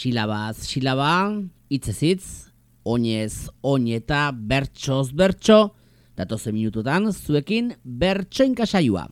Silabaz silaba, hitzez hitz, oinez oin eta bertsoz bertso, datozen minututan zuekin bertsoinka saioa.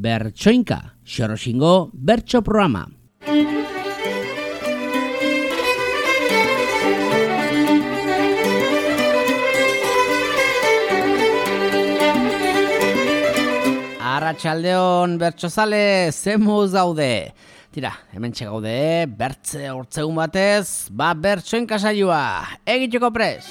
Bertsoinka, Xoroxingo bertso programa. Arratsaldeon bertsozale, zemuz gaude. Tira, hementxe gaude, bertze hortzegun batez, bertsoinka saioa, egiteko pres.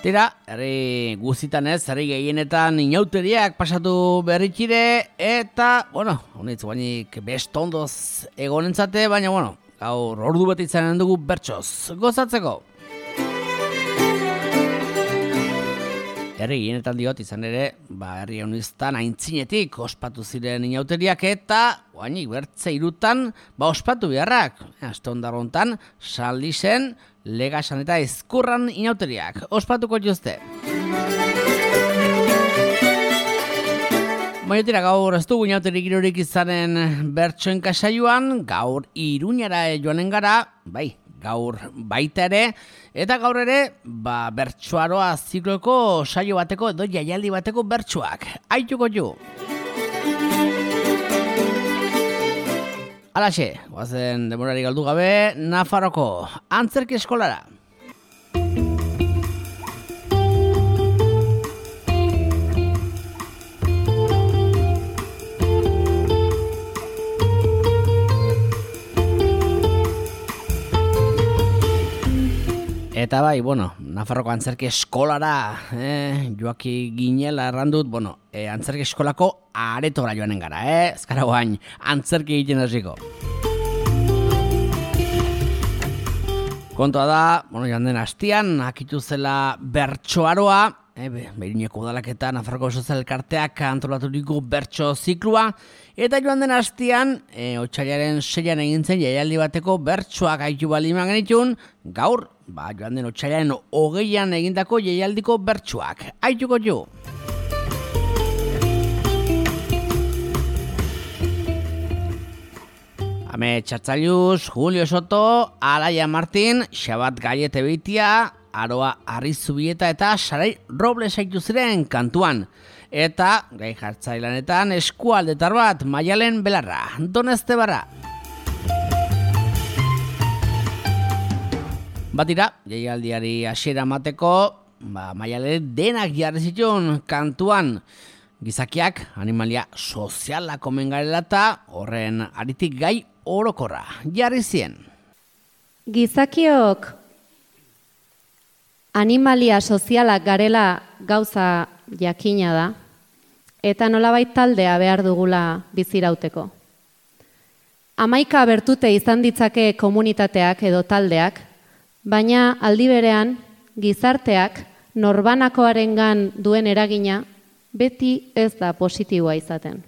Tira, herri guztitan ez, herri gehienetan inauteriak pasatu berrikire, eta, honitz guainik bestondoz egonentzate, baina, gaur ordu bat izanen dugu bertsoz gozatzeko. Herri gehienetan diot izan ere, herri honiztan aintzinetik ospatu ziren inauteriak eta guainik bertze irutan ospatu beharrak. Aste ondarrontan, San Lisen, Legasan eta Ezkurran inauteriak ospatuko jozte. Baina gaur ez dugu inauterik girorik izanen bertsoenka saioan, gaur Iruñara joanen gara, gaur baita ere, eta gaur ere, bertsoaroa zikloko saio bateko edo jaialdi bateko bertsoak. Aituko ju! Alaxe, guazen demorari galdu gabe, Nafarroko antzerki eskolara. Eta Nafarroko antzerki eskolara joaki ginela errandut, antzerki eskolako aretora joanen gara, ez gara guain antzerki egiten hasiko. Kontua da, joan den hastian, akitu zela bertsoaroa, Iruñeko udalak eta Nafarroko Sozial Elkarteak antolaturiko bertso ziklua, eta joan den hastian, otsailaren 6an egin zen jaialdi bateko bertsoak aitu baliman genitun, gaur, joan den otsailaren 20an egindako jaialdiko bertsoak. Aituko jo! Ame Txartzaiuz, Julio Soto, Alaia Martin, Xabat Gaiete Beitia, Aroa Arrizubieta eta Sarai Robles aitu ziren kantuan. Eta, gai jartzailanetan, eskualdetar bat, Maialen Belarra, Donezte Barra. Batira, jaialdiari hasiera mateko, Maialen denak jarri zituen kantuan. Gizakiak, animalia soziala komen garela eta horren aritik gai orokorra jarri zien. Gizakiok animalia sozialak garela gauza jakina da, eta nolabait taldea behar dugula bizirauteko. 11 bertute izan ditzake komunitateak edo taldeak, baina aldi berean gizarteak norbanakoarengan duen eragina beti ez da positiboa izaten.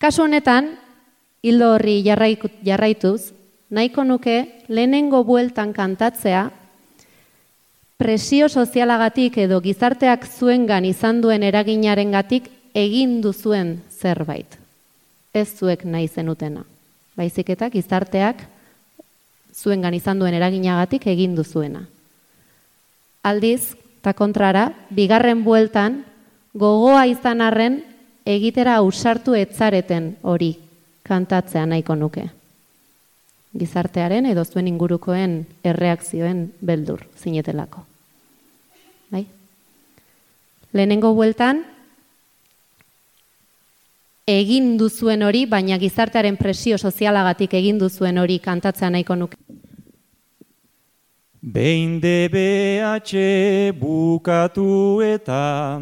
Kasu honetan, hildo horri jarraituz, nahiko nuke lehenengo bueltan kantatzea presio sozialagatik edo gizarteak zuengan izan duen eraginarengatik egin duzuen zerbait. Ez zuek nahi zenutena. Baizik eta gizarteak zuengan izan duen eraginagatik egin duzuena. Aldiz, eta kontrara, bigarren bueltan, gogoa izan arren egitera ausartu etzareten hori kantatzea nahiko nuke. Gizartearen edo zuen ingurukoen erreakzioen beldur zinetelako. Bai? Lehenengo bueltan, egin duzuen hori, baina gizartearen presio sozialagatik egin duzuen hori kantatzea nahiko nuke. Behin DBH bukatu eta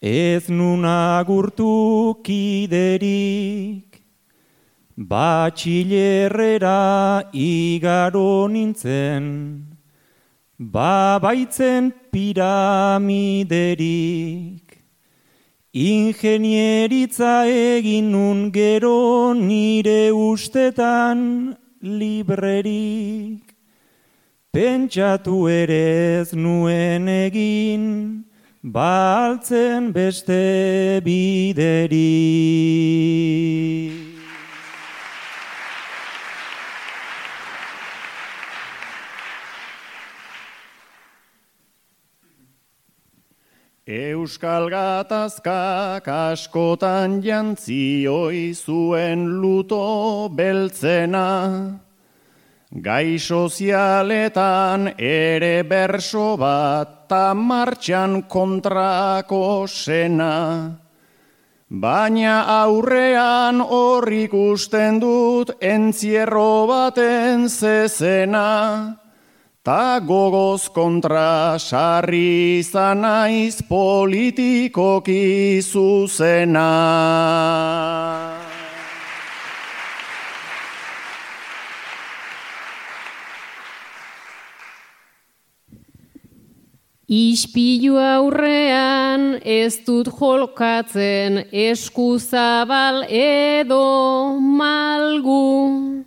ez nun agurtu kiderik, batxilerrera igaro nintzen, baitzen piramiderik. Ingenieritza egin nun gero nire ustetan librerik. Pentsatu ere ez nuen egin, baltzen beste biderik. Euskal gatazkak askotan jantzioi zuen luto beltzena, gai sozialetan ere berso bat ta martxan kontrako sena. Baina aurrean hor ikusten dut entzierro baten zezena, ta gogoz kontra sarri izan naiz politikoki zuzena. Ispilu aurrean ez dut jolkatzen eskuzabal edo malgu,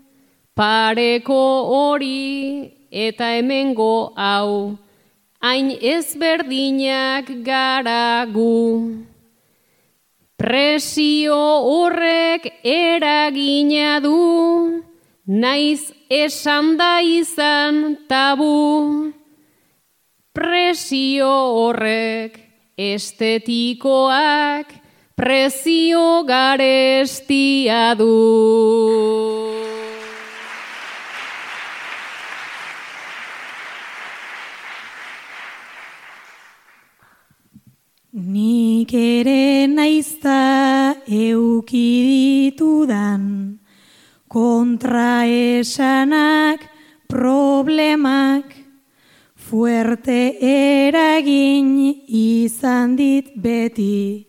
pareko hori eta hemengo hau, hain ezberdinak garagu. Presio horrek eragina du, naiz esan da izan tabu. Presio horrek estetikoak prezio garestia du. Nik ere naizta euki ditudan, kontraesanak, problemak, fuerte eragin izan dit beti,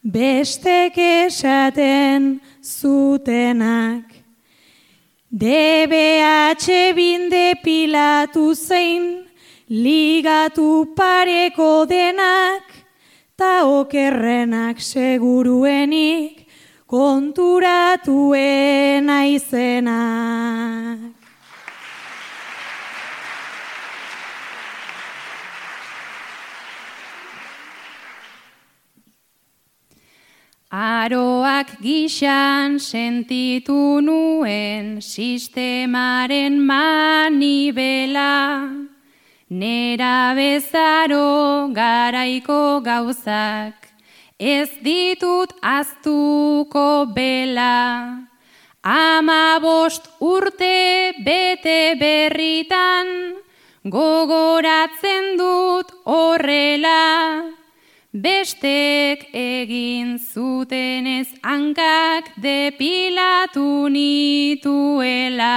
bestek esaten zutenak. DBH binde pilatu zein, ligatu pareko denak, ta okerrenak seguruenik konturatuen aizenak. Aroak gixan sentitu nuen sistemaren manibela, nera bezaro garaiko gauzak, ez ditut aztuko bela. 15 urte bete berritan, gogoratzen dut horrela, bestek egin zutenez hankak depilatu nituela.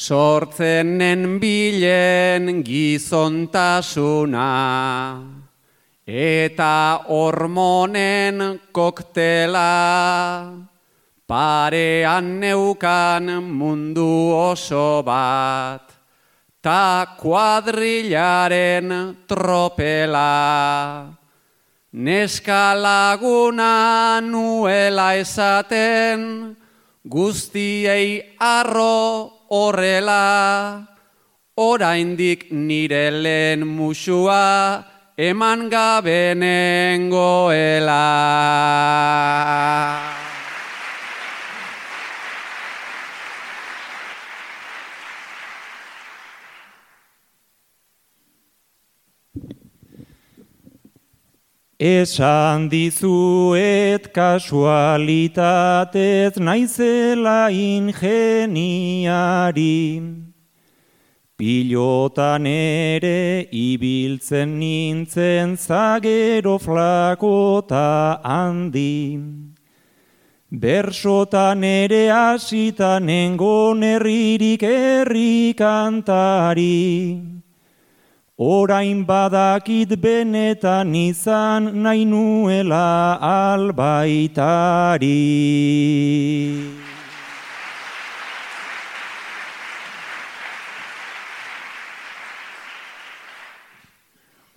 Sortzenen bilen gizontasuna, eta hormonen koktela, parean neukan mundu oso bat, ta kuadrilaren tropela. Neska laguna nuela esaten, guztiei arro horrela, oraindik nire lehen musua eman gabe nengoela. Esan dizuet kasualitatez naizela ingeniari, pilotan ere ibiltzen nintzen zagero flakota handi. Bersotan ere hasita nengon herririk herri kantari, orain badakit benetan izan nahi nuela albaitari.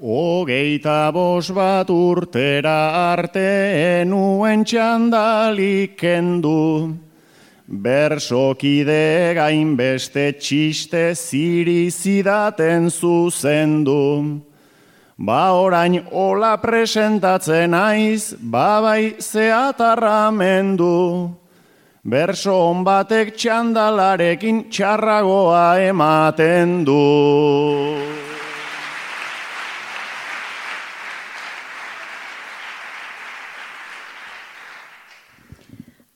Hogeita bat urtera arte enuen txandalik kendu, bersokide gainbeste txiste ziri zidaten zuzendu. Ba orain hola presentatzen aiz, babai zeatarramendu. Berso on batek txandalarekin txarragoa ematen du.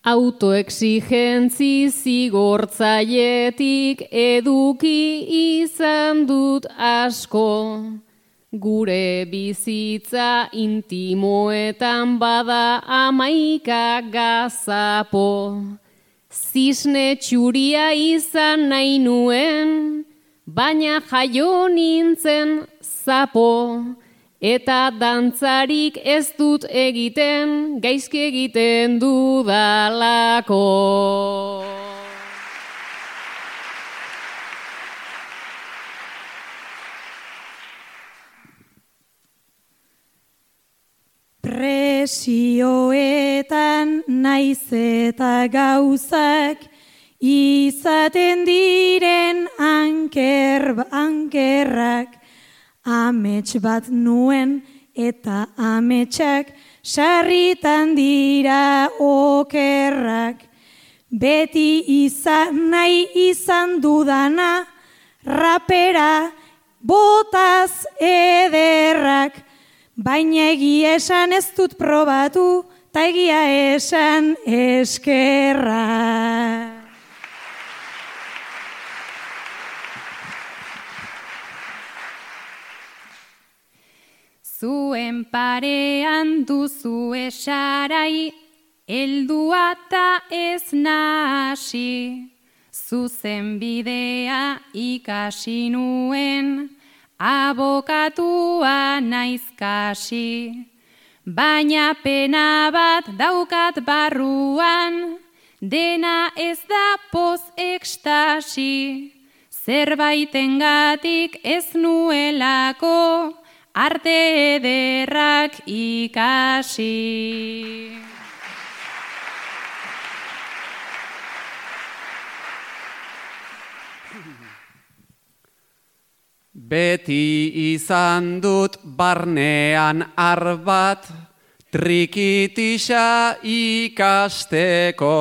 Autoexigentzi zigortzaietik eduki izan dut asko. Gure bizitza intimoetan bada 11 gazapo. Zisne txuria izan nahi nuen, baina jaio nintzen zapo. Eta dantzarik ez dut egiten, gaizki egiten dudalako. Presioetan naiz eta gauzak izaten diren ankerrak. Amets bat nuen eta ametsak sarritan dira okerrak. Beti izan nahi izan dudana, rapera botaz ederrak. Baina egia esan ez dut probatu, ta egia esan eskerrak. Zuen parean duzu esarai, heldua ta ez nahasi. Zuzen bidea ikasi nuen, abokatua naiz kasi. Baina pena bat daukat barruan, dena ez da poz ekstasi. Zerbaitengatik ez nuelako, arte ederrak ikasi. Beti izan dut barnean arbat, trikitisa ikasteko,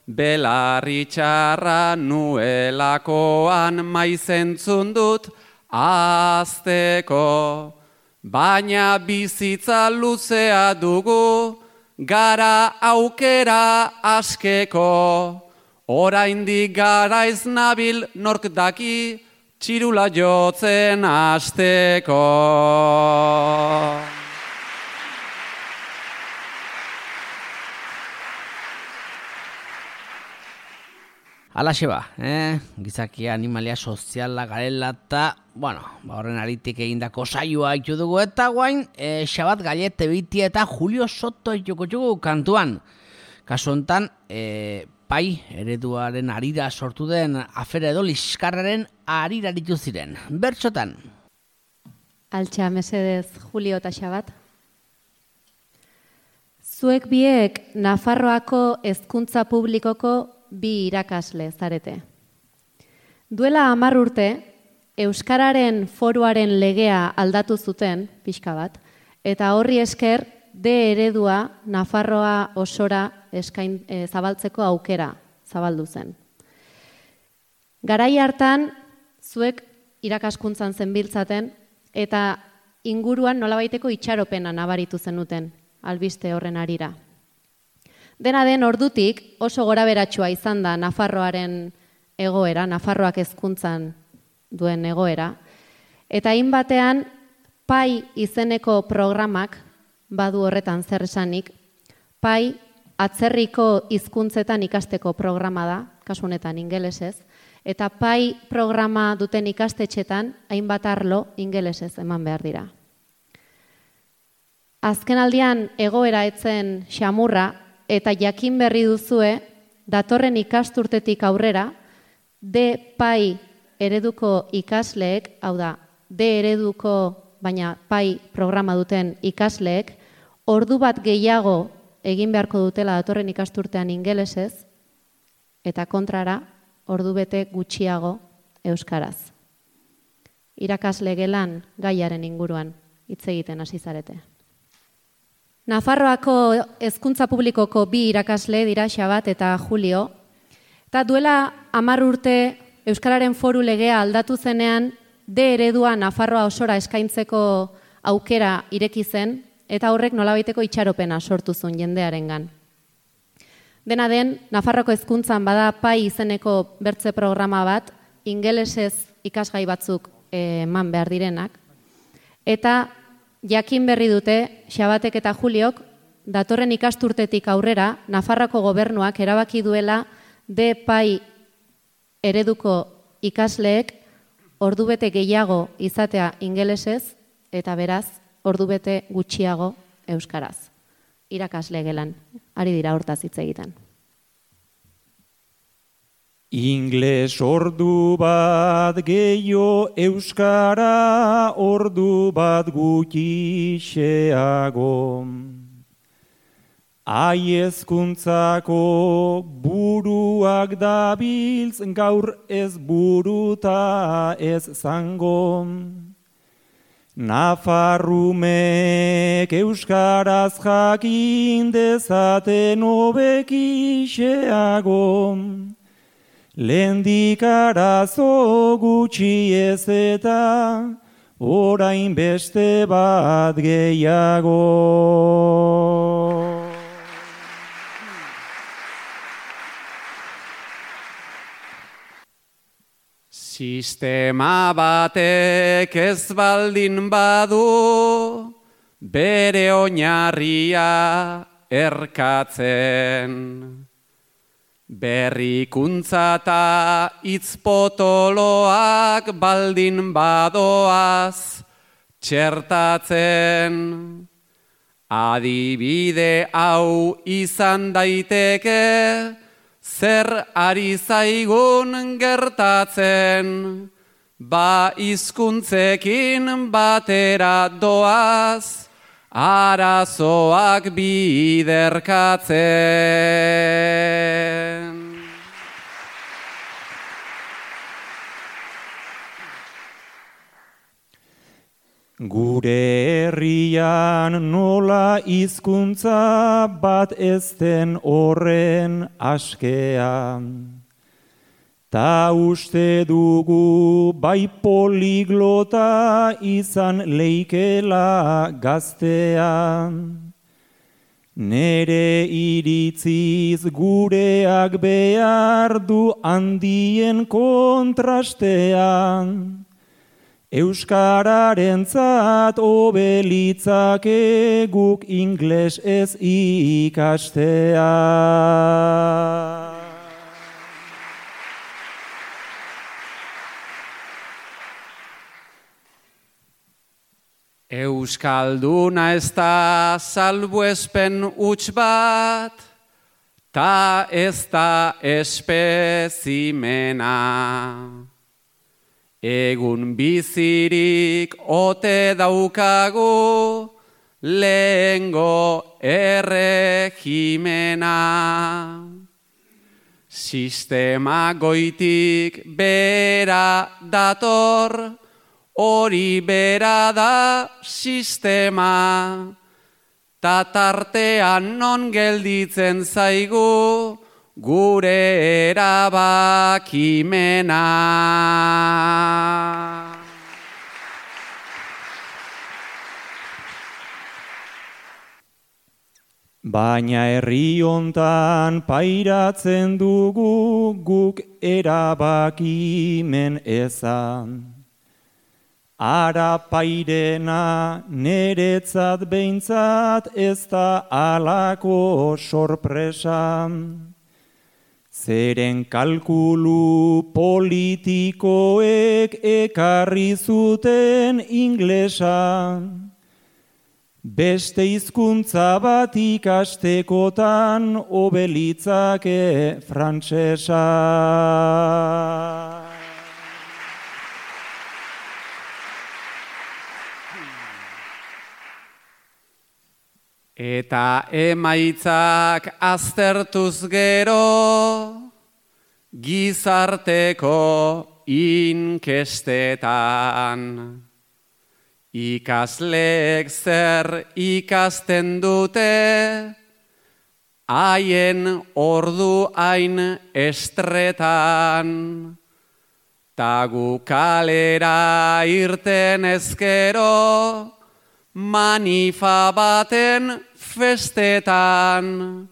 belarri txarra nuelakoan maizentzun dut azteko. Baina bizitza luzea dugu, gara aukera askeko. Oraindik garaiz nabil nork daki, txirula jotzen hasteko. Alaxe ba, gizakia animalia soziala garela eta, horren aritik egindako saioa itu dugu eta guain, Xabat Gallete Bitia eta Julio Soto joko kantuan. Kasu hontan, pai ereduaren arira sortu den afera edo liskarraren arira aritu ziren. Bertsotan. Altxa mesedez, Julio eta Xabat. Zuek biek Nafarroako hezkuntza publikoko 2 irakasle zarete. Duela 10 urte, Euskararen foruaren legea aldatu zuten, pixka bat, eta horri esker D eredua Nafarroa osora zabaltzeko aukera zabaldu zen. Garai hartan, zuek irakaskuntzan zenbiltzaten, eta inguruan nolabaiteko itxaropena nabaritu zenuten, albiste horren arira. Dena den ordutik oso goraberatsua izan da Nafarroaren egoera, Nafarroak hezkuntzan duen egoera, eta hainbatean pai izeneko programak badu horretan zer esanik. Pai atzerriko hizkuntzetan ikasteko programa da, kasu honetan ingelesez, eta PAI programa duten ikastetxetan hainbat arlo ingelesez eman behar dira. Azken aldian egoera etzen xamurra eta jakin berri duzue datorren ikasturtetik aurrera D-PAI ereduko ikasleek, hau da, D ereduko baina PAI programa duten ikasleek, ordu bat gehiago egin beharko dutela datorren ikasturtean ingelesez, eta kontrara, ordu bete gutxiago euskaraz. Irakasle gelan gaiaren inguruan hitz egiten hasi zarete. Nafarroako hezkuntza publikoko 2 irakasle dira Xabat eta Julio, eta duela 10 urte Euskararen Foru legea aldatu zenean, D eredua Nafarroa osora eskaintzeko aukera ireki zen, eta horrek nolabaiteko itxaropena sortu zuen jendearengan. Dena den, Nafarroako hezkuntzan bada PAI izeneko bertze programa bat, ingelesez ikasgai batzuk eman behar direnak, eta jakin berri dute, Xabatek eta Juliok, datorren ikasturtetik aurrera, Nafarroako gobernuak erabaki duela D-PAI ereduko ikasleek ordubete gehiago izatea ingelesez, eta beraz, ordubete gutxiago euskaraz. Irakasle gelan, ari dira hortaz hitz egiten. Ingles ordu bat gehiago, euskara ordu bat gutxixeago. Hezkuntzako buruak dabiltz, gaur ez buruta ez zango. Nafarrumek euskaraz jakin dezaten hobekixeago. Lehendik arazo gutxi ez eta orain beste bat gehiago. Sistema batek ez baldin badu, bere oinarria erkatzen. Berrikuntza eta hitzpotoloak baldin badoaz txertatzen. Adibide hau izan daiteke, zer ari zaigun gertatzen, ba hizkuntzekin batera doaz, arazoak biderkatzen. Gure herrian nola hizkuntza bat ez den horren askean. Ta uste dugu bai poliglota izan leikela gaztean. Nere iritziz gureak behar du handien kontrastean. Euskararentzat obelitzake guk ingles ez ikastea. Euskalduna ez da salbuespen huts bat, ta ez da espezimena. Egun bizirik ote daukagu lehengo erregimena. Sistema goitik bera dator, hori bera da sistema. Ta tartean non gelditzen zaigu, gure erabakimena. Baina herri hontan pairatzen dugu guk erabakimen ezan. Ara pairena neretzat behintzat ez da alako sorpresa. Zeren kalkulu politikoek ekarri zuten inglesa, beste hizkuntza bat ikastekotan obelitzake frantsesa. Eta emaitzak aztertuz gero, gizarteko inkestetan. Ikasleek zer ikasten dute, haien ordu hain estretan. Ta gu kalera irten ezkero, manifa baten festetan.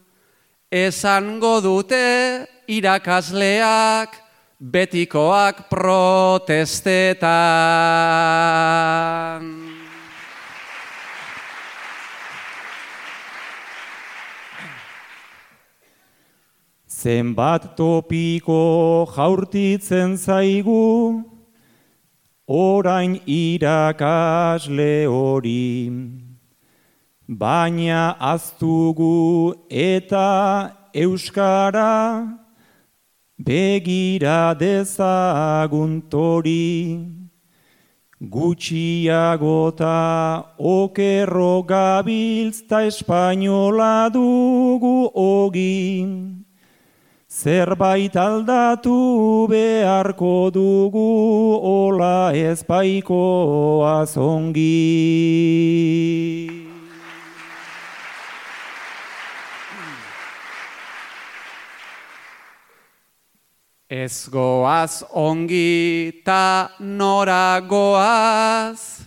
Esango dute irakasleak, betikoak protestetan. Zenbat topiko jaurtitzen zaigu, orain irakasle hori, baina aztugu eta euskara begira dezaguntori. Gutxiagota okerro gabiltz ta espainola dugu ogi. Zerbait aldatu beharko dugu, ola ez baikoaz ongi. Ez goaz ongi ta nora goaz,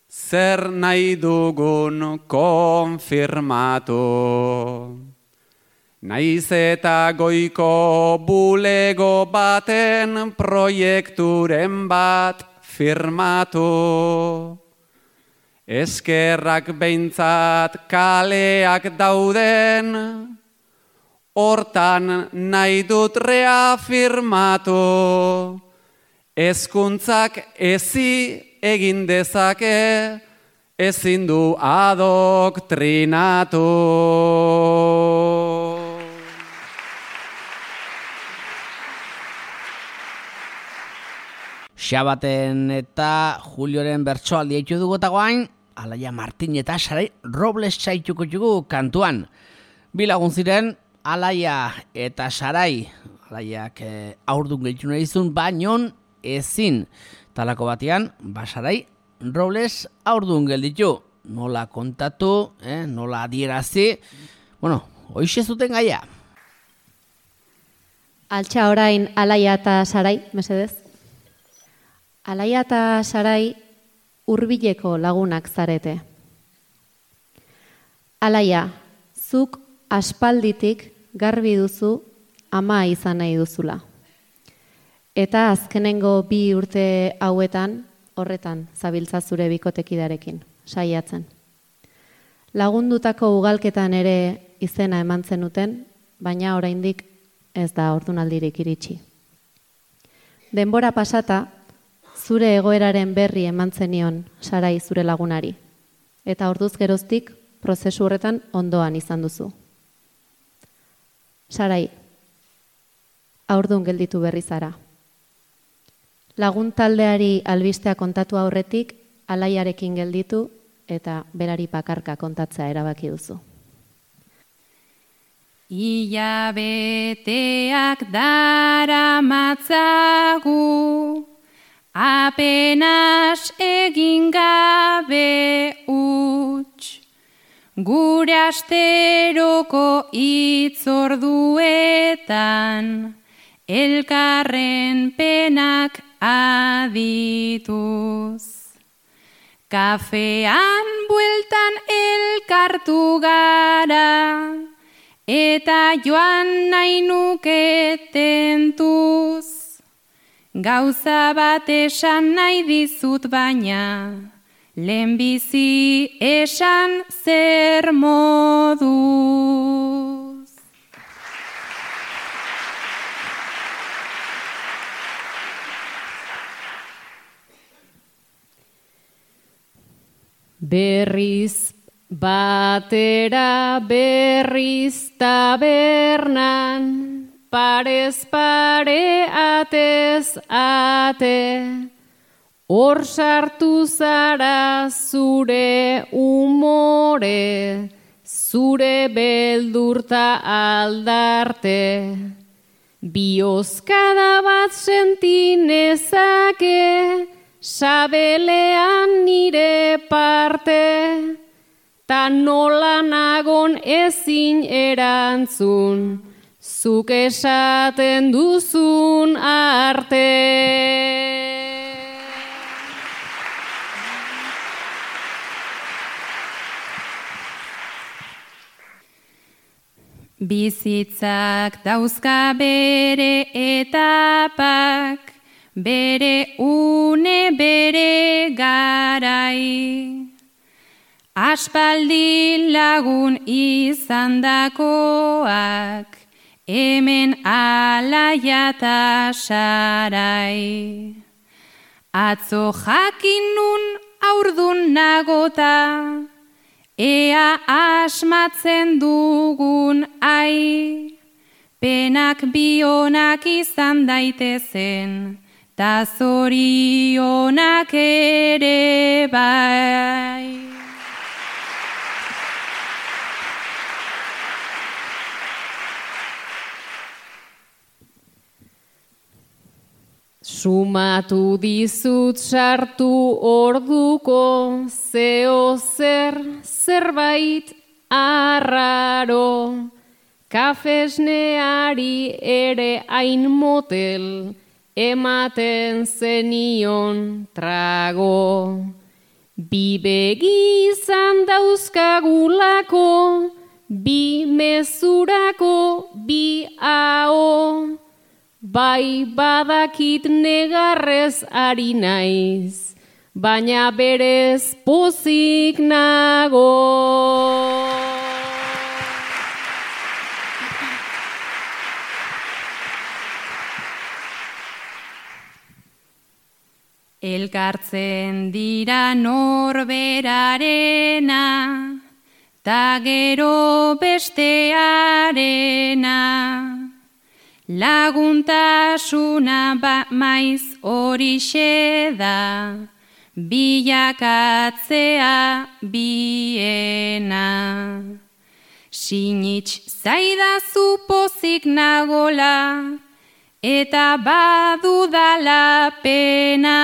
zer nahi dugun konfirmatu. Naiz eta goiko bulego baten proiekturen bat firmatu. Eskerrak behintzat kaleak dauden, hortan nahi dut reafirmatu. Hezkuntzak ezi egin dezake, ezin du adoktrinatu. Xabaten eta Julioren bertsoaldi eitu dugu eta guain, Alaia Martin eta Sarai Robles txaituko dugu kantuan. Bi lagun ziren, Alaia eta Sarai, Alaiak aurdun gehitu nahi izun, bainon ezin. Talako batean, Sarai Robles aurdun gelditu. Nola kontatu, nola adierazi. Bueno, hoixe zuten gaia. Altxa orain Alaia eta Sarai, mesedez. Alaia eta Sarai hurbileko lagunak zarete. Alaia, zuk aspalditik garbi duzu ama izan nahi duzula. Eta azkenengo 2 urte hauetan, horretan zabiltza zure bikotekidarekin, saiatzen. Lagundutako ugalketan ere izena eman zenuten, baina oraindik ez da ordunaldirik iritsi. Denbora pasata, zure egoeraren berri eman zenion Sarai zure lagunari, eta orduz geroztik prozesu horretan ondoan izan duzu. Sarai, haurdun gelditu berri zara. Lagun taldeari albistea kontatu aurretik, Alaiarekin gelditu eta berari bakarka kontatzea erabaki duzu. Hilabeteak daramatzagu, apenas egin gabe huts, gure asteroko hitzorduetan, elkarren penak adituz. Kafean bueltan elkartu gara, eta joan nahi nuke tentuz. Gauza bat esan nahi dizut baina, lehenbizi esan zer moduz. Berriz batera, berriz tabernan, parez pare, atez ate, hor sartu zara zure umore, zure beldurta aldarte. Biozkada bat sentinezake, sabelean nire parte, ta nola nagon ezin erantzun, zuk esaten duzun arte. Bizitzak dauzka bere etapak, bere une, bere garai. Aspaldi lagun izandakoak, hemen alaia ta sarai. Atzo jakin nun aurdun nagota, ea asmatzen dugun ai, penak bionak izan daitezen, ta zorionak ere bai. Sumatu dizut sartu orduko, zeo zerbait arraro, kafesneari ere hain motel, ematen zenion trago. Bi begi izan dauzkagulako, bi mezurako, bi ao, bai badakit negarrez ari naiz, baina berez pozik nago. Elkartzen dira norberarena, ta gero bestearena. Laguntasuna maiz horixe da, bilakatzea biena. Sinitz zaidazu pozik nagola, eta badudala pena.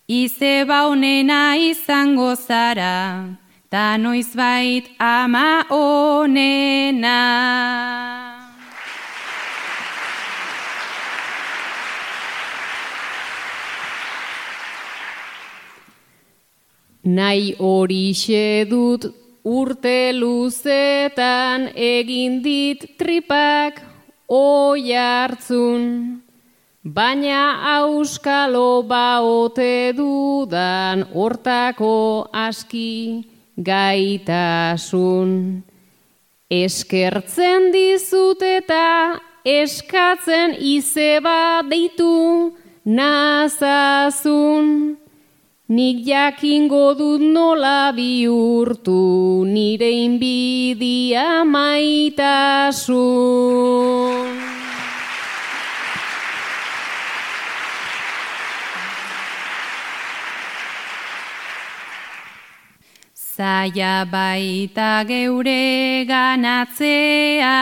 Izeba honena izango zara, ta noizbait ama honena. Nahi horixe dut urte luzetan, egin dit tripak oi hartzun, baina auskalo baote dudan hortako aski gaitasun. Eskertzen dizut eta eskatzen izeba deitu nazazun. Nik jakingo dut nola bihurtu nire inbidia maitasun. Zaila baita geure ganatzea,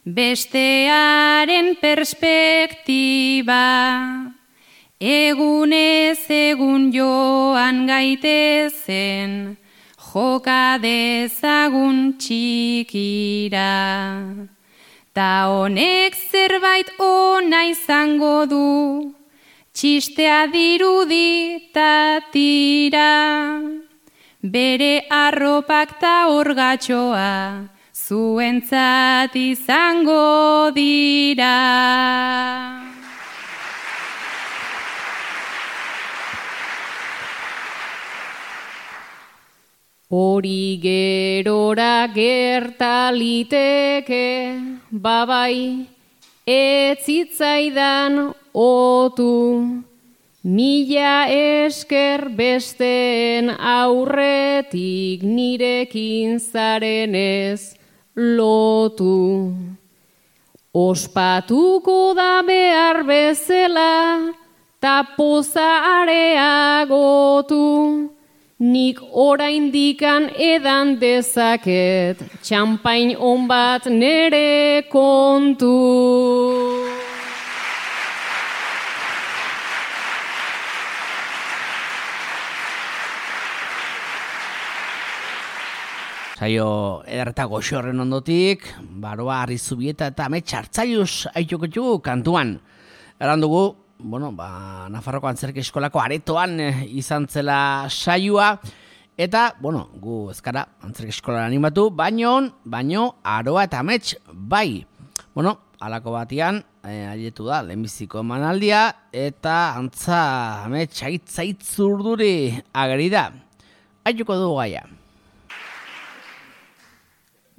bestearen perspektiba. Egunez egun joan gaitezen, joka dezagun txikira. Ta honek zerbait ona izango du, txistea dirudi ta tira. Bere arropak ta orgatxoa, zuentzat izango dira. Hori gerora gertaliteke, babai, ez zitzaidan otu, Mila esker besteen aurretik nirekin zarenez lotu. Ospatuko da behar bezala, ta poza areagotu. Nik oraindikan edan dezaket, txampain on bat nere kontu. Saio ederreta goxo horren ondotik, Baroa Arrizubieta eta Amets Hartzaius aitokotxu kantuan. Eran dugu, Nafarroko Antzerki Eskolako aretoan izan zela saioa, eta, gu ezkara Antzerki Eskolan animatu, baino Aroa eta Amets bai. Halako batian, aietu da, lehenbiziko emanaldia, eta antza Amets aitzaitzurduri ageri da. Aituko dugu gaia.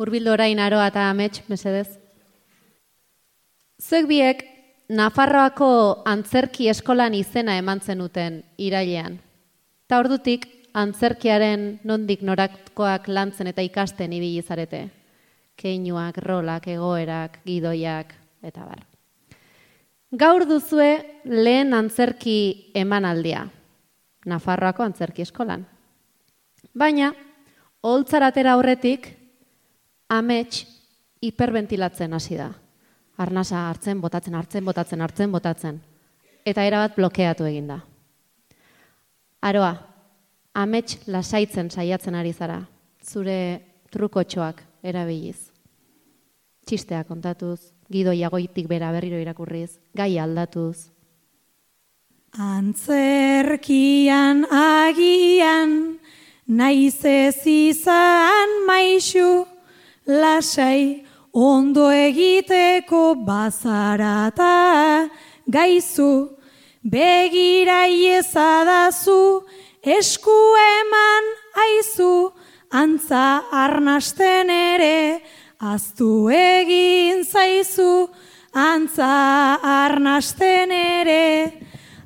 Hurbildu orain Aroa eta Amets, mesedez. Zuek biek Nafarroako Antzerki Eskolan izena eman zenuten irailean. Ta ordutik antzerkiaren nondik norakoak lantzen eta ikasten ibili zarete. Keinuak, rolak, egoerak, gidoiak eta bar. Gaur duzue lehen antzerki emanaldia. Nafarroako Antzerki Eskolan. Baina oholtzaratera aurretik Amets hiperventilatzen hasi da. Arnasa hartzen, botatzen. Eta erabat blokeatu egin da. Aroa, Amets lasaitzen saiatzen ari zara. Zure trukotxoak erabiliz. Txistea kontatuz, gidoia goitik bera berriro irakurriz, gai aldatuz. Antzerkian agian, naiz ez izan maixu, lasai ondo egiteko bazarata gaizu, begira iezadazu, esku eman aizu, antza arnasten ere, aztu egin zaizu, antza arnasten ere,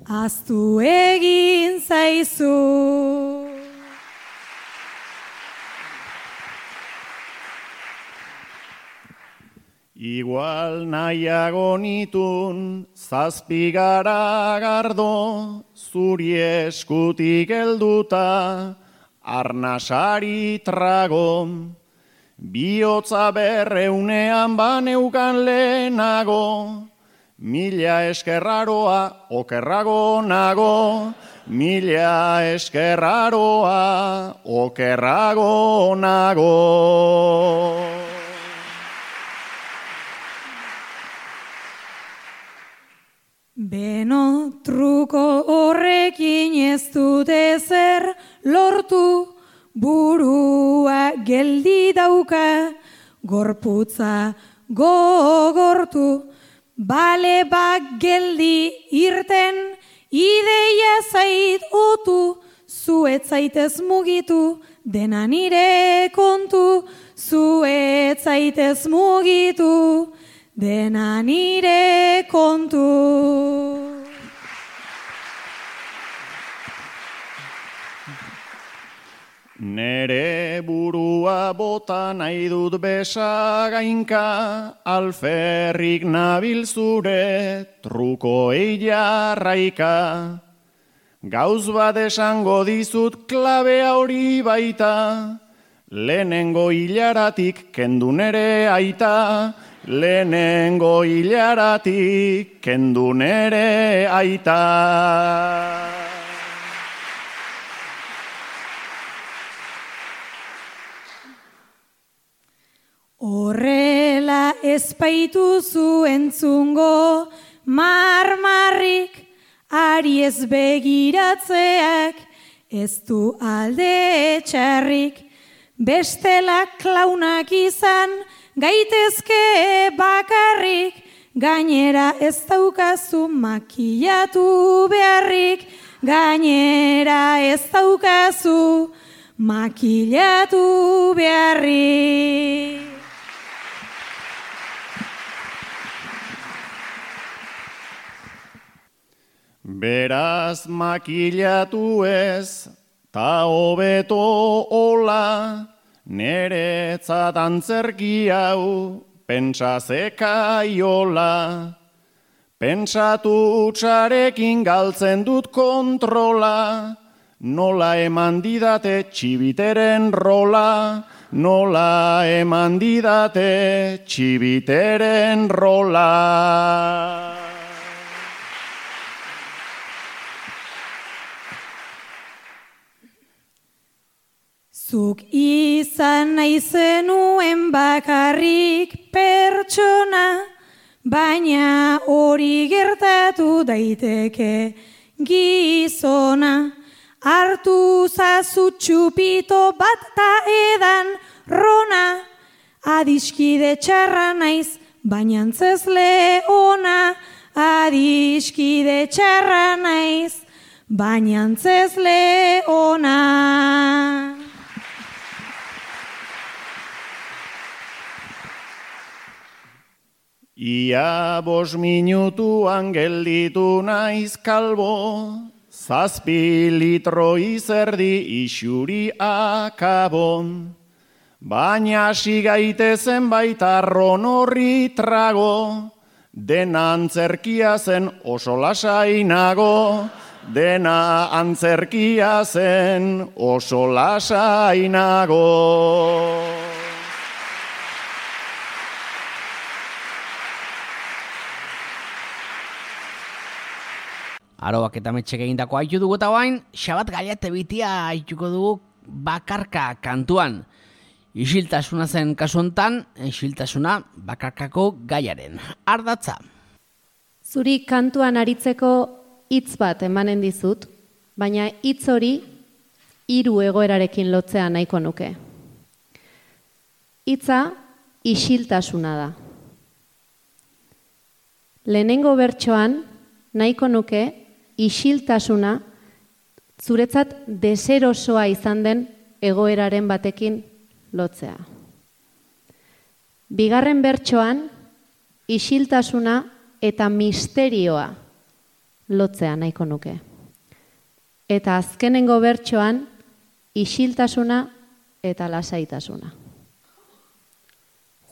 aztu egin zaizu. Igual nahiago nitun, zazpigara gardo, zuri eskutik helduta, arnasari trago. Bihotza berreunean baneukan lehenago, mila eskerraroa okerrago nago, mila eskerraroa okerrago nago. Beno truko horrekin ez dut ezer lortu, burua geldi dauka, gorputza gogortu, bale bak geldi irten, ideia zait otu, zuet zaitez mugitu, dena nire kontu, zuet zaitez mugitu, dena nire kontu. Nere burua bota nahi dut besagainka, alferrik nabil zure trukoei jarraika. Gauz bat esango dizut klabea hori baita, lehenengo hilaratik kendu nere aita, lehenengo hilaratik kendu nere aita. Horrela ezpaituzu entzungo marmarrik, ari ez begiratzeak, ez du alde txarrik, bestela klaunak izan, gaitezke bakarrik, gainera ez daukazu makillatu beharrik, gainera ez daukazu makillatu beharrik. Beraz makilatu ez, ta hobeto hola, neretzat antzerki hau, pentsa zekaiola. Pentsatu utxarekin galtzen dut kontrola, nola eman didate txibiteren rola, nola eman didate txibiteren rola. Zuk izan nahi zenuen bakarrik pertsona, baina hori gertatu daiteke gizona. Hartu zazu txupito bat ta edan rona, adiskide txarra naiz, baina antzezle ona. Adiskide txarra naiz, baina antzezle ona. Ia 5 minutuan gelditu naiz kalbo, 7 litro izerdi isuri akabon. Baina hasi gaitezen baita ron horri trago, dena antzerkia zen oso lasainago, dena antzerkia zen oso lasainago. Aroak eta metxek egindako haitu dugu eta bain, Xabat Gaiate bitia haituko dugu bakarka kantuan. Isiltasuna zen kasu hontan, isiltasuna bakarkako gaiaren ardatza. Zuri kantuan aritzeko hitz bat emanen dizut, baina hitz hori 3 egoerarekin lotzea nahiko nuke. Hitza isiltasuna da. Lehenengo bertsoan nahiko nuke isiltasuna zuretzat deserosoa izan den egoeraren batekin lotzea. Bigarren bertsoan isiltasuna eta misterioa lotzea nahiko nuke. Eta azkenengo bertsoan isiltasuna eta lasaitasuna.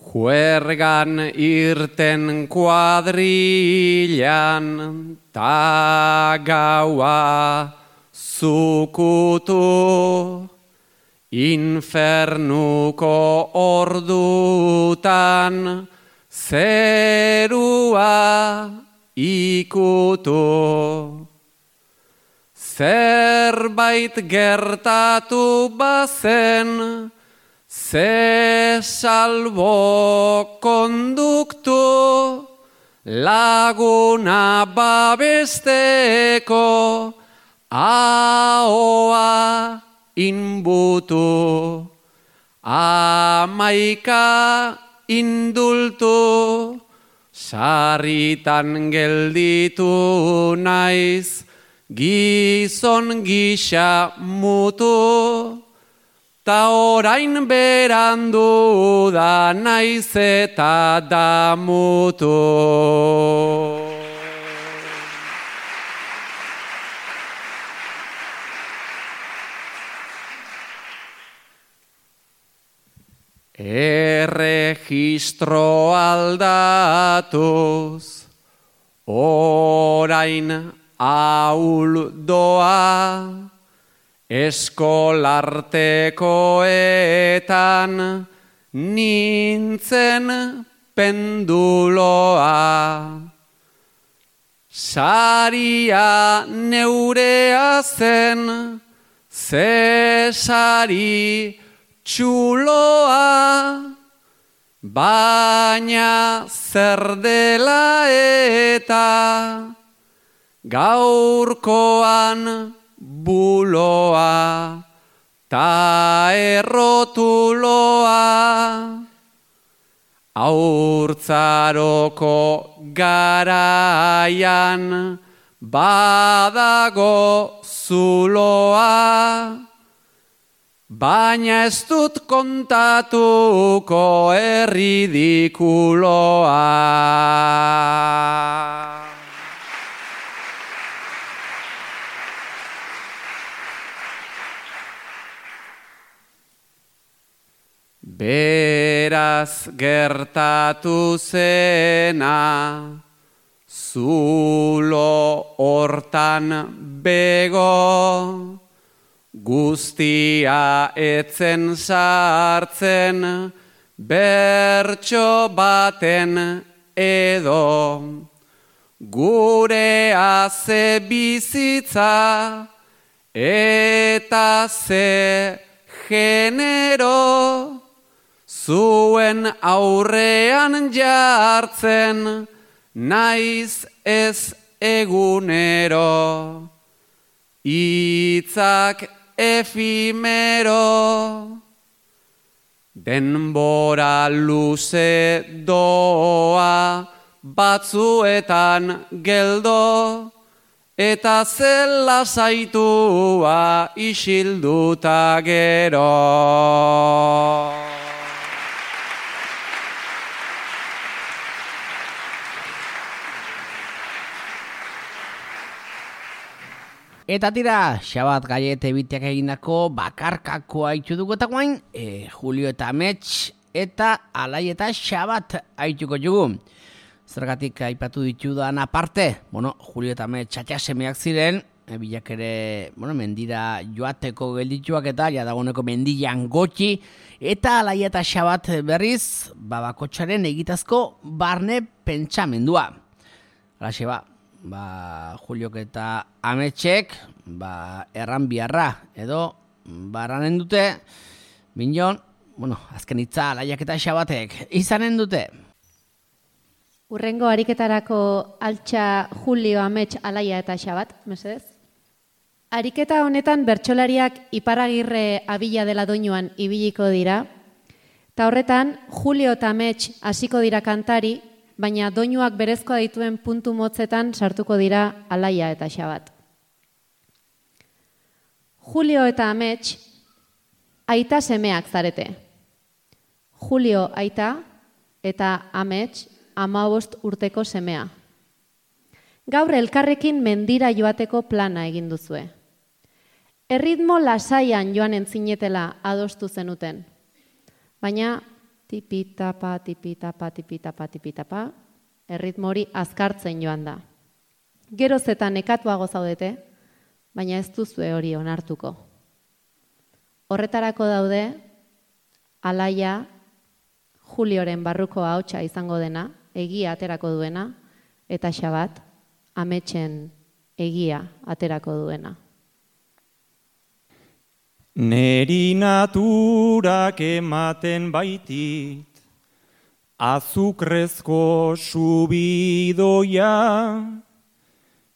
Juergan irten kuadrilan, ta gaua zukutu, infernuko ordutan, zerua ikutu. Zerbait gertatu bazen, ze salbo konduktu, laguna babesteko, ahoa inbutu, 11 indultu, sarritan gelditu naiz, gizon gisa mutu, ta orain berandu da naiz eta damutu. Erregistro aldatuz, orain ahul doa, eskolartekoetan nintzen penduloa. Saria neurea zen, ze sari txuloa, baina zer dela eta gaurkoan buloa ta errotuloa. Haurtzaroko garaian badago zuloa, baina ez dut kontatuko erridikuloa. Beraz gertatu zena, zulo hortan bego, guztia etzen sartzen, bertso baten edo. Gurea ze bizitza, eta ze genero, zuen aurrean jartzen, naiz ez egunero, hitzak efimero. Denbora luze doa, batzuetan geldo, eta zela zaitua isilduta gero. Eta tira, Xabat Gaiete biteak egindako bakarkakoa haitu dugu eta guain, Julio eta Amets eta Alai eta Xabat haituko jugu. Zergatik aipatu ditudan aparte, Julio eta Amets txatxasemeak ziren, bilak ere, mendira joateko geldituak eta jadagoneko mendian gotxi, eta Alai eta Xabat berriz, babakotxaren egitazko barne pentsamendua. Alaxe Juliok eta Ametsek, erran biharra, edo, baranen dute, binon, azken hitza Alaiak eta Xabatek, izanen dute. Urrengo ariketarako altxa Julio, Amets, Alaia eta Xabat, mesedez? Ariketa honetan bertsolariak Iparagirre abila dela doinuan ibiliko dira, eta horretan Julio eta Amets hasiko dira kantari, baina doinuak berezkoa dituen puntu motzetan sartuko dira Alaia eta Xabat. Julio eta Amets aita semeak zarete. Julio aita eta Amets 15 urteko semea. Gaur elkarrekin mendira joateko plana egin duzue. Erritmo lasaian joan entzinetela adostu zenuten. Baina tipitapa, tipitapa, tipitapa, tipitapa, erritmo hori azkartzen joan da. Geroz eta nekatuago zaudete, baina ez duzue hori onartuko. Horretarako daude, Alaia, Julioren barruko ahotsa izango dena, egia aterako duena, eta Xabat, Ametsen egia aterako duena. Neri naturak ematen baitit, azukrezko subidoia,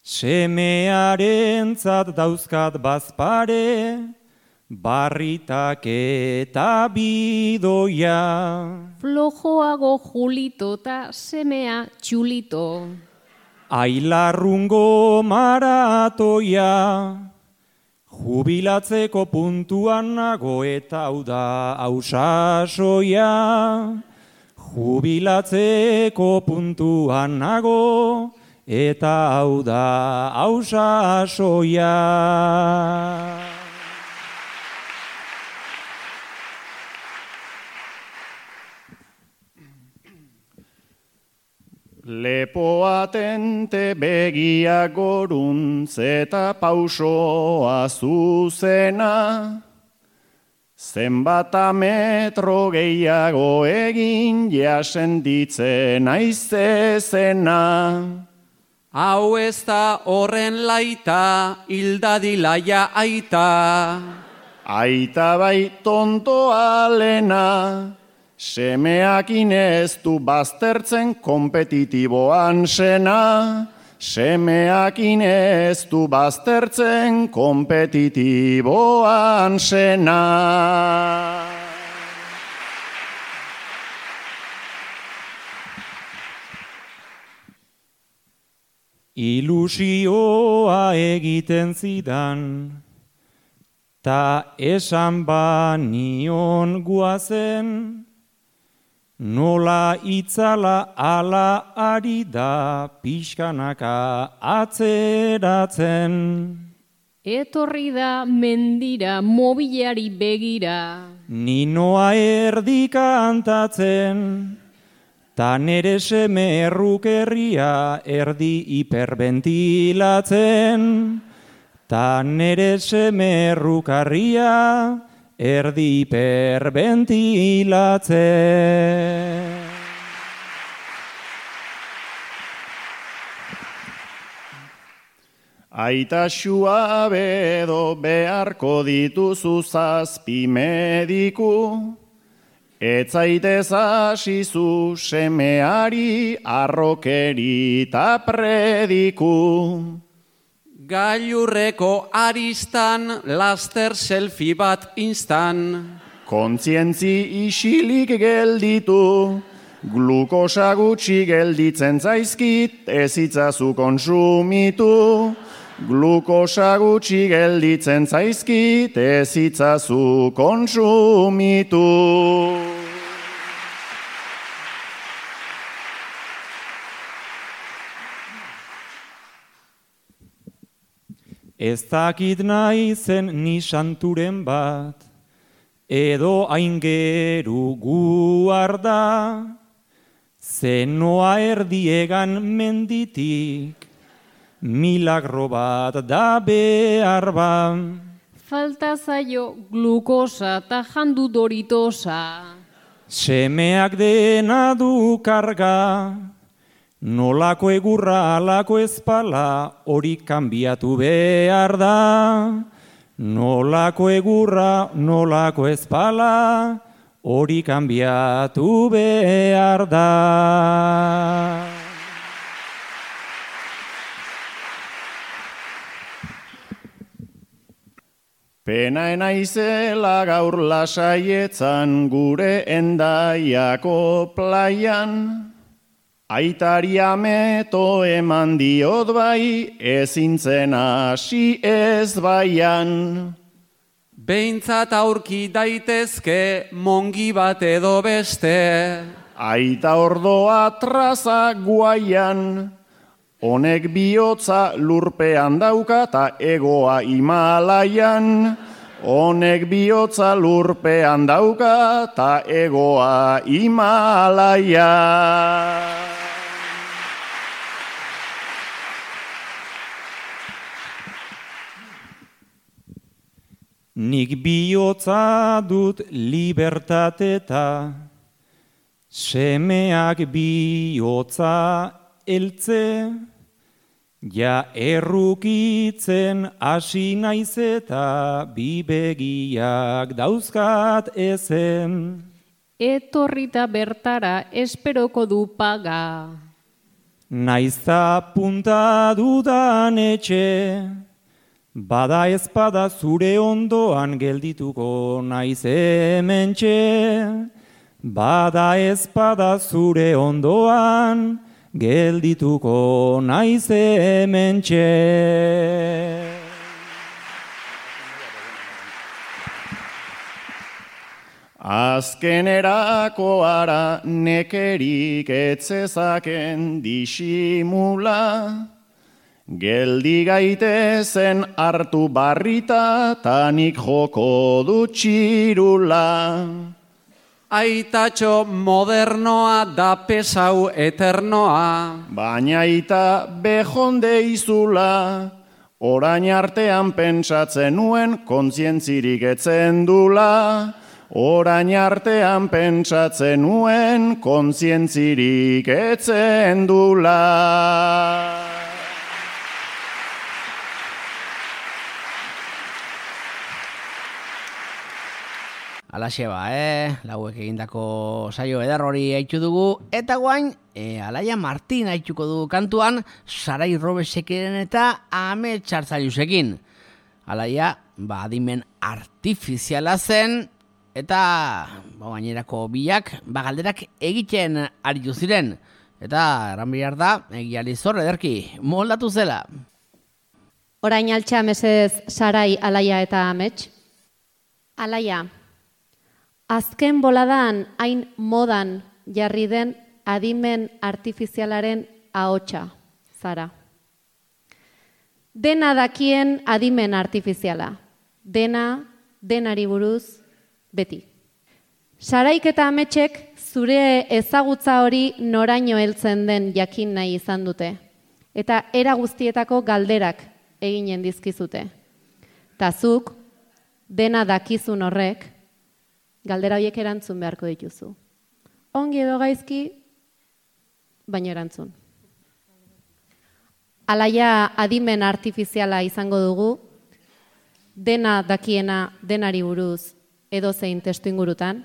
semearentzat dauzkat bazpare, barritak eta bidoia. Flojoago Julito eta semea txulito. Ailarrungo maratoia, jubilatzeko puntuan nago eta hau da hausasoia. Jubilatzeko puntuan nago eta hau da hausasoia. Lepoa tente begia goruntz eta pausoa zuzena, zenbat metro gehiago egin jasenditzen aizezena. Hau ez da horren laita, hildadilaia aita. Aita bai tontoa lena, semeakin ez du baztertzen kompetitiboan sena. Semeakin ez du baztertzen kompetitiboan sena. Ilusioa egiten zidan, ta esan banion guazen, nola itzala ala ari da pixkanaka atzeratzen. Etorri da mendira mobileari begira. Ninoa erdi kantatzen, ta nere seme errukerria erdi hiperventilatzen, ta nere seme errukarria erdi hiperventilatzen. Aita suabedo beharko dituzu zazpi mediku, etzaitez hasizu semeari arrokeri ta prediku. Gailurreko aristan laster selfie bat instan. Kontzientzi isilik gelditu, glukosa gutxi gelditzen zaizkit, ez itzazu konsumitu. Glukosa gutxi gelditzen zaizkit, ez itzazu konsumitu. Ez dakit naizen ni santuren bat, edo aingeru guarda, zenoa erdiegan menditik, milagro bat da behar ba. Falta zaio glukosa ta jandu doritosa. Semeak dena du karga, nolako egurra alako ezpala hori kanbiatu behar da. Nolako egurra, nolako ezpala hori kanbiatu behar da. Pena naizela gaur lasaietzan gure Endaiako plaian, aitari ameto eman diot bai, ezintzen hasi ez baian. Behintzat aurki daitezke mongi bat edo beste. Aita ordoa traza guaian, honek bihotza lurpean dauka ta egoa Himalaian. Honek bihotza lurpean dauka ta egoa Himalaian. Nik bihotza dut libertateta, semeak bihotza eltze, ja errukitzen hasi naiz eta bi begiak dauzkat ezen. Etorrita bertara esperoko du paga. Naizta punta dudan etxe, bada ezpada zure ondoan geldituko naiz hementxe. Bada ezpada zure ondoan geldituko naiz hementxe. Azkenerako ara nekerik etzezaken disimula, geldi gaitezen hartu barrita tanik joko dut txirula. Aitatxo modernoa da pesau eternoa. Baina aita bejonde izula, orain artean pentsatzen nuen kontzientzirik etzen dula. Orain artean pentsatzen nuen kontzientzirik etzen dula. Alaxe ba, lauek egindako saio eder hori haitu dugu, eta guain, Alaia Martin haituko du kantuan, Sarai Robeseken eta Ame Txartzailusekin. Alaia, adimen artifiziala zen, eta gainerako biak, galderak egiten aritu ziren. Eta, erran behar da, egiari zor ederki, moldatu zela. Orain altxa mesez Sarai, Alaia eta Amets. Alaia, azken boladan hain modan jarri den adimen artifizialaren ahotsa, zara. Dena dakien adimen artifiziala. Denari buruz, beti. Saraik eta ametsek zure ezagutza hori noraino heltzen den jakin nahi izan dute. Eta era guztietako galderak eginen dizkizute. Ta zuk, dena dakizun horrek, galdera horiek erantzun beharko dituzu. Ongi edo gaizki, baina erantzun. Alaia adimen artifiziala izango dugu, dena dakiena denari buruz edozein testu ingurutan,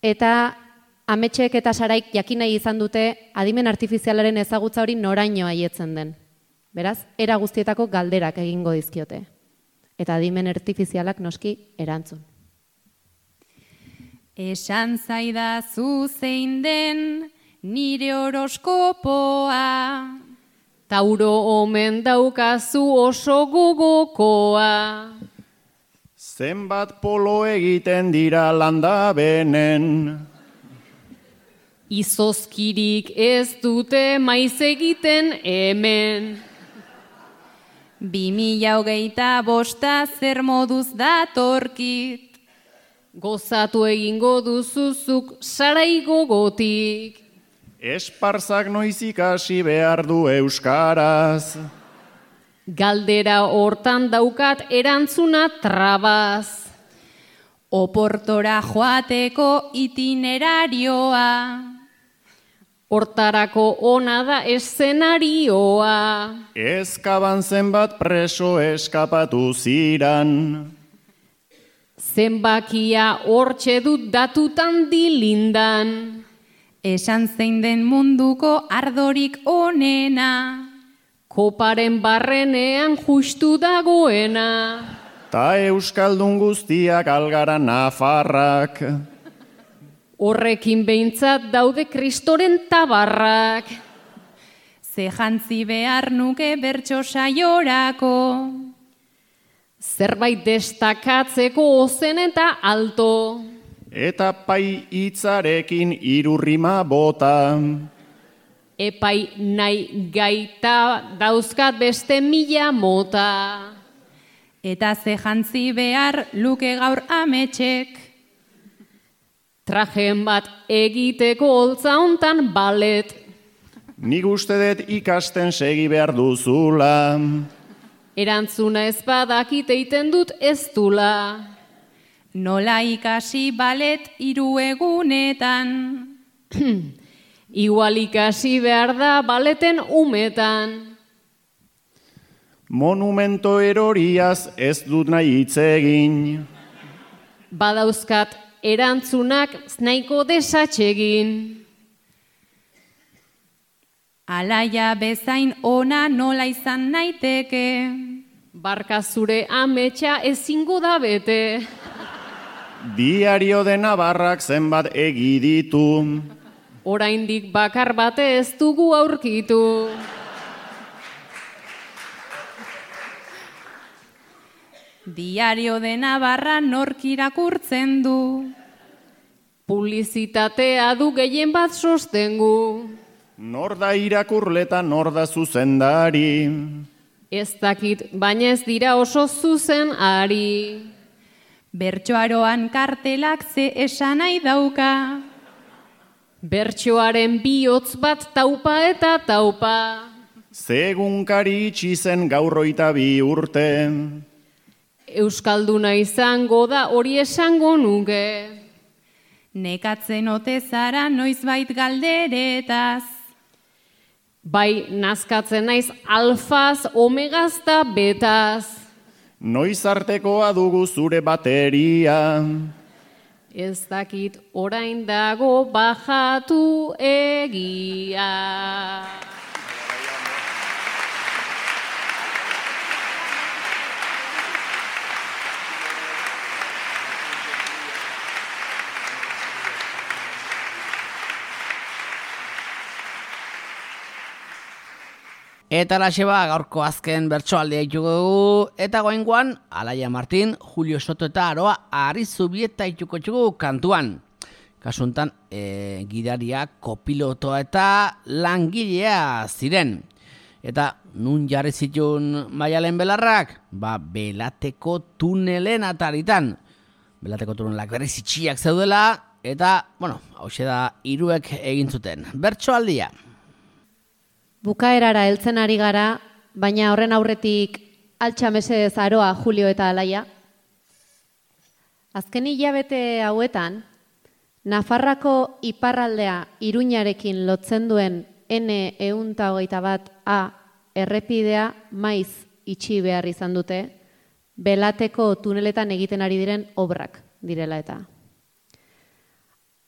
eta ametsek eta saraik jakin nahi izan dute adimen artifizialaren ezagutza hori noraino haietzen den. Beraz, era guztietako galderak egingo dizkiote. Eta adimen artifizialak noski erantzun. Esan zaidazu zein den nire horoskopoa. Tauro omen daukazu oso gogokoa. Zenbat polo egiten dira landabenen. Izozkirik ez dute maiz egiten hemen. 2025 zer moduz datorkit. Gozatu egingo duzuzuk sarai gogotik. Esparzak noiz ikasi behar du euskaraz. Galdera hortan daukat erantzuna trabaz. Oportora joateko itinerarioa. Hortarako ona da eszenarioa. Ezkaban zenbat preso eskapatu ziran. Zenbakia hortxe dut datutan dilindan. Esan zein den munduko ardorik onena. Koparen barrenean justu dagoena. Ta euskaldun guztiak algara nafarrak. Horrekin behintzat daude kristoren tabarrak. Ze jantzi behar nuke bertso saiorako. Zerbait destakatzeko ozen eta alto. Eta pai hitzarekin irurrima bota. Epai nahi gaita dauzkat beste 1000 mota. Eta ze jantzi behar luke gaur ametsek. Trajen bat egiteko holtza hontan balet. Nik uste dut ikasten segi behar duzula. Erantzuna ez badakit eiten dut ez dula. Nola ikasi balet 3 egunetan. Igual ikasi behar da baleten umetan. Monumento eroriaz ez dut nahi hitz egin. Badauzkat erantzunak nahiko desatsegin. Alaia bezain ona nola izan naiteke. Barka zure ametsa ezingo da bete. Diario de Navarrak zenbat egiditu. Oraindik bakar bate ez dugu aurkitu. Diario de Navarra nork irakurtzen du. Publizitatea du gehien bat sostengu. Nor da irakurleta, nor da zuzendari. Ez dakit, baina ez dira oso zuzen ari. Bertsoaroan kartelak ze esan nahi dauka. Bertsoaren bihotz bat taupa eta taupa. Zegunkari itxi zen gaur 22 urte. Euskalduna izango da hori esango nuke. Nekatzen ote zara noizbait galderetaz. Bai, nazkatzen naiz alfaz, omegaz da betaz. Noiz artekoa dugu zure bateria. Ez dakit orain dago bajatu egia. Eta laxeba gaurko azken bertsoaldea ditugu dugu, eta goengoan Alaia Martin, Julio Soto eta Aroa Arizubieta dituko ditugu kantuan. Kasuntan gidaria, kopilotoa eta langilea ziren. Eta nun jarri zituen Maialen belarrak? Belateko tunelen ataritan. Belateko tunelak berriz itxiak zeudela, eta, hauxe da hiruek egin zuten. Bertsoaldia. Bukaerara heltzen ari gara, baina horren aurretik altxa mesedez Aroa, Julio eta Alaia. Azken hilabete hauetan, Nafarrako iparraldea Iruñarekin lotzen duen N121A errepidea maiz itxi behar izan dute, Belateko tuneletan egiten ari diren obrak direla eta.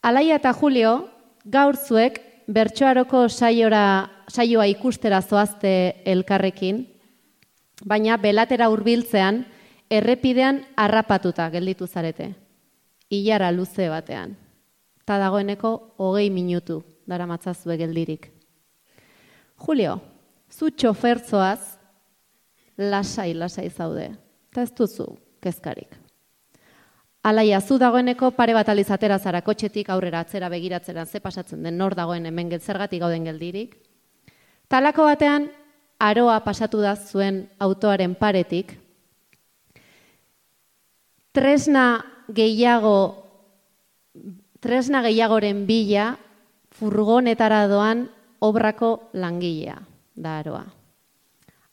Alaia eta Julio, gaur zuek Bertsoaroko saioa ikustera zoazte elkarrekin, baina Belatera hurbiltzean errepidean harrapatuta gelditu zarete. Ilara luze batean. Ta dagoeneko 20 minutu daramatzazue geldirik. Julio, zu txofertzoaz lasai zaude. Ta ez duzu kezkarik. Alaia, zu dagoeneko pare bat alizatera zara kotxetik aurrera atzera begiratzera ze pasatzen den nor dagoen hemen zergatik gauden geldirik. Talako batean, Aroa pasatu da zuen autoaren paretik. Tresna gehiagoren bila furgonetara doan obrako langilea da Aroa.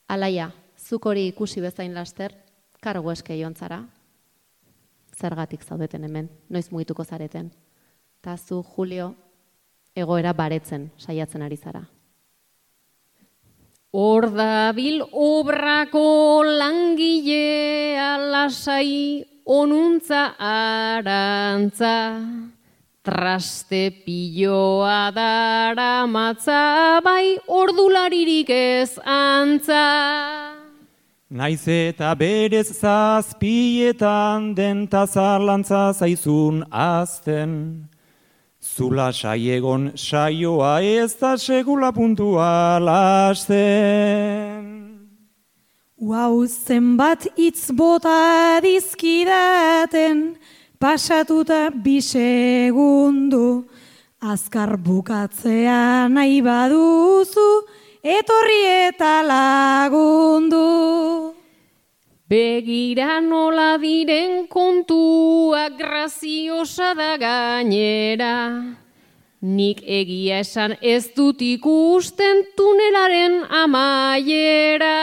Alaia, zuk hori ikusi bezain laster, kargu eske jontzara. Zergatik zaudeten hemen, noiz mugituko zareten. Ta zu, Julio, egoera baretzen saiatzen ari zara. Hor dabil obrako langilea lasai onuntza arantza, traste piloa daramatza, bai ordularirik ez antza. Naiz eta berez zazpietan den tazarlantza zaizun azten. Zula saiegon saioa ez da segula puntua lasten. Zenbat hitz bota dizkidaten, pasatuta 2 segundu. Azkar bukatzea nahi baduzu, etorri eta lagundu. Begira nola diren kontua graziosa da gainera. Nik egia esan ez dut ikusten tunelaren amaiera.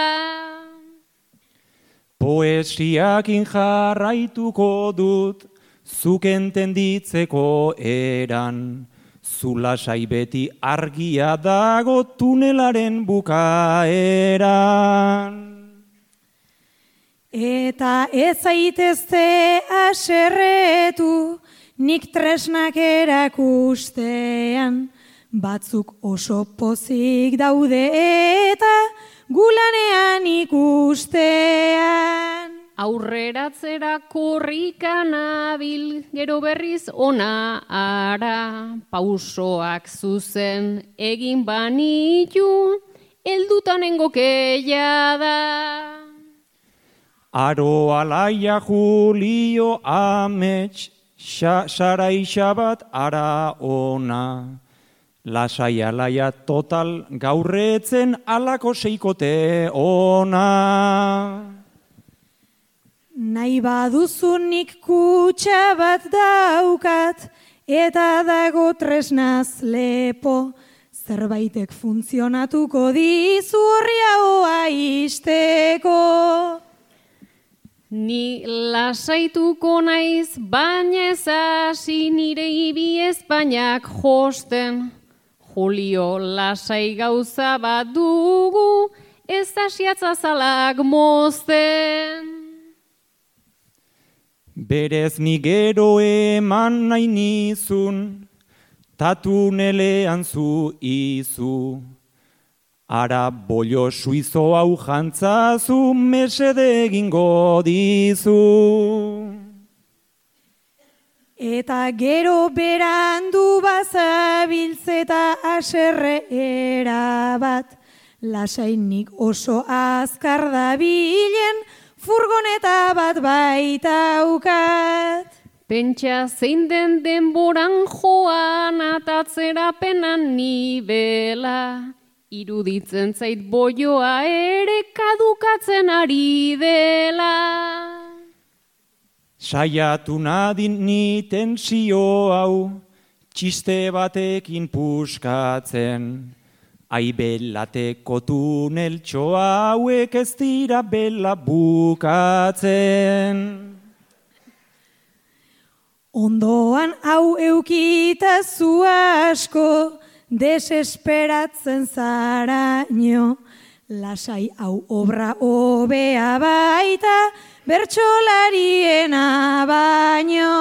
Poesiakin jarraituko dut, zuk entenditzeko eran. Zulasai beti argia dago tunelaren bukaeran. Eta ez zaitezte haserretu, nik tresnak erakustean. Batzuk oso pozik daude eta gulanean ikustean. Aurreratzera korrika nabil, gero berriz ona ara. Pausoak zuzen egin banitu, heldutanengo keia da. Aro, Alaia, Julio, Amets, Saraixa bat ara ona. Lasai, Alaia, total gaurretzen alako seikote ona. Nahi baduzunik kutxa bat daukat, eta dago tresnaz lepo. Zerbaitek funtzionatuko dizu horri haua isteko. Ni lasaituko naiz, baina ez hasi nire ibi Espainak josten. Julio, lasai gauza bat dugu, ez hasiatzazalak mozten. Berez ni gero eman nahi nizun, tatunelean zu izu. Ara bollo suizo hau jantzazu mesede egingo dizu. Eta gero berandu bazabiltzeta haserre erabat. Lasainik oso azkar dabilen furgoneta bat baitaukat. Pentsa zein den denboran joan atatzera penan nibela. iruditzen zait boioa ere kadukatzen ari dela. Saiatu nadin ni tensio hau, txiste batekin puskatzen. Aibelateko tuneltxo hauek ez dira bela bukatzen. Ondoan hau eukita zu asko, desesperatzen zaraino. Lasai hau obra hobea baita, bertsolariena baino.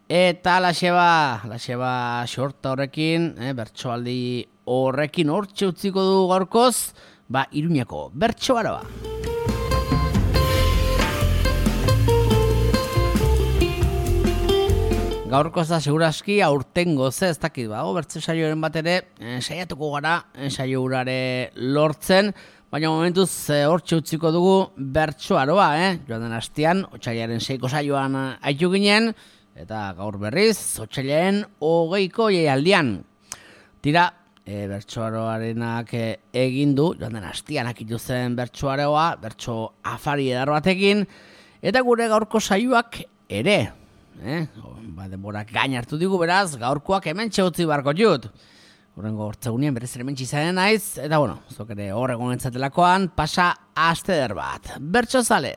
Eta laseba xorta horrekin, bertsoaldi horrekin hortxe utziko du gaurkoz, Iruñako bertsoaroa. Gaurkoz da seguraski aurtengo ez dakit bertso saioaren bat ere saiatuko gara saio urare lortzen, baina momentuz hortxe utziko dugu bertsoaroa, joan den astean, otsailaren 6ko saioan aitu ginen, eta gaur berriz, otsailaren 20ko jaialdian. Tira, bertsoaroarenak egin du, joan den astean akitu zen bertsoaroa, bertso afari edar batekin, eta gure gaurko saioak ere. Denborak gain hartu digu beraz, gaurkoak hemen txegutzi barko jut. Horrengo hortzegunien berez ere mentsi zaren naiz, eta zok ere horregon entzatelakoan, pasa aste eder bat. Bertso zale!